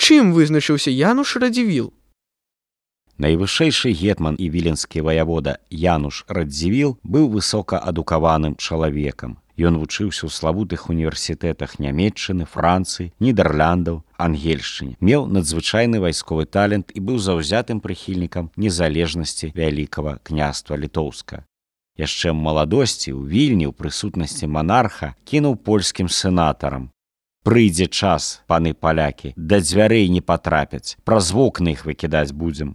Чым вызначыўся Януш Радзівіл? Найвышэйшы гетман і віленскі ваявода Януш Радзівіл быў высокаадукаваным чалавекам. Ён вучыўся ў славутых універсітэтах Нямецчыны, Францыі, Нідэрляндаў, Ангельшчыне. Меў надзвычайны вайсковы талент і быў заўзятым прыхільнікам незалежнасці Вялікага княства Літоўска. Яшчэ ў маладосці ў Вільні ў прысутнасці монарха кінуў польскім сенатарам: «Прыйдзе час, паны палякі, да дзвярэй не патрапяць, праз вокны іх выкідаць будзем».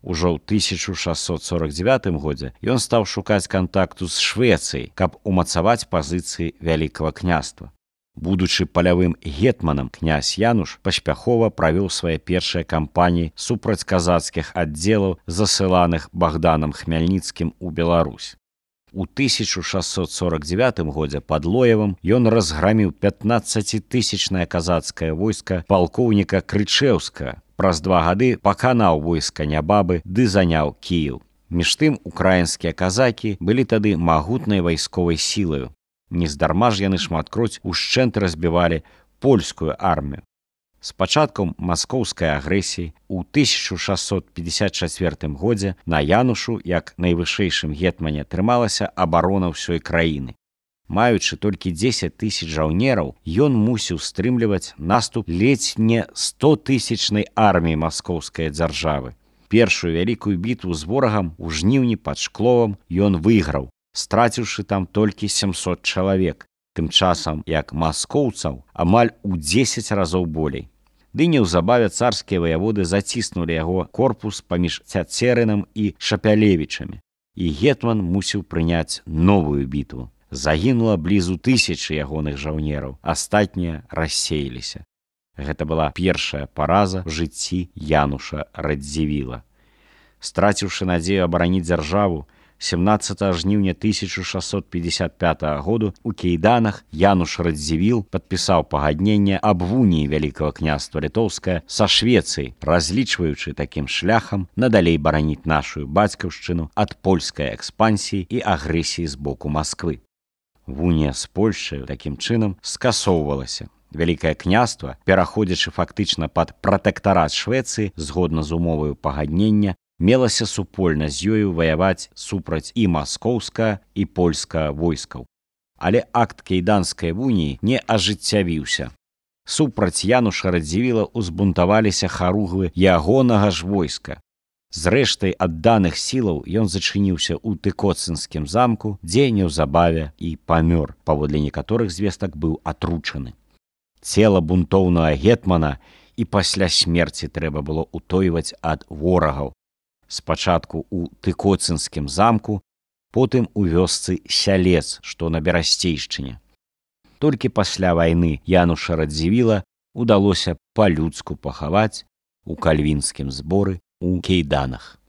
Ужо ў 1649 годзе ён стаў шукаць кантакту з Швецыяй, каб умацаваць пазіцыі Вялікага княства. Будучы палявым гетманам, князь Януш паспяхова правёў свае першыя кампаніі супраць казацкіх аддзелаў, засыланых Богданом Хмельніцкім у Беларусь. У 1649 годзе пад Лоевам ён разграміў 15-тысячнае казацкае войска палкоўніка Крычэўскага. Праз 2 гады паканаў войска Нябабы ды заняў Кіеў. Між тым украінскія казакі былі тады магутнай вайсковай сілаю. Нездарма ж яны шматкроць ушчэнт разбівалі польскую армію. З пачаткам маскоўскай агрэсіі ў 1654 годзе на Янушу, як найвышэйшым гетмане, трымалася абарона ўсёй краіны. Маючы толькі 10 тысяч жаўнераў, ён мусіў стрымліваць наступ ледзь не 100-тысячнай арміі маскоўскай дзяржавы. Першую вялікую бітву з ворагам у жніўні пад Шкловам ён выйграў, страціўшы там толькі 700 чалавек, тым часам як маскоўцаў амаль у 10 разоў болей. Ды неўзабаве царскія ваяводы заціснулі яго корпус паміж Цяцерынам і Шапялевічамі, і гетман мусіў прыняць новую бітву. Загінула блізу 1000 ягоных жаўнераў, астатнія рассеяліся. Гэта была першая параза в жыцці Януша Радзівіла. Страціўшы надзею абараніць дзяржаву, 17 жніўня 1655 году у Кейданах Януш Радзівіл падпісаў пагадненне аб уніі Вялікага княства Літоўскае са Швецыяй, разлічваючы такім шляхам надалей бараніць нашу бацькаўшчыну ад польскай экспансіі і агрэсіі з боку Масквы. Унія з Польшчай такім чынам скасоўвалася. Вялікае княства, пераходзячы фактычна пад пратэктарат Швецыі згодна з умоваю пагаднення, мелася супольна з ёю ваяваць супраць і маскоўскага, і польскага войскаў. Але акт Кейданскай уніі не ажыццявіўся. Супраць Януша Радзівіла узбунтаваліся харугвы ягонага ж войска. З рэштай адданых сілаў ён зачыніўся ў Тыкоцынскім замку, дзе неўзабаве і памёр, паводле некаторых звестак быў атручаны. Цела бунтоўнага гетмана і пасля смерці трэба было ўтойваць ад ворагаў. Спачатку ў Тыкоцынскім замку, потым у вёсцы Сялец, што на Берасцейшчыне. Толькі пасля вайны Януша Радзівіла удалося па-людску пахаваць у кальвінскім зборы у Кейданах.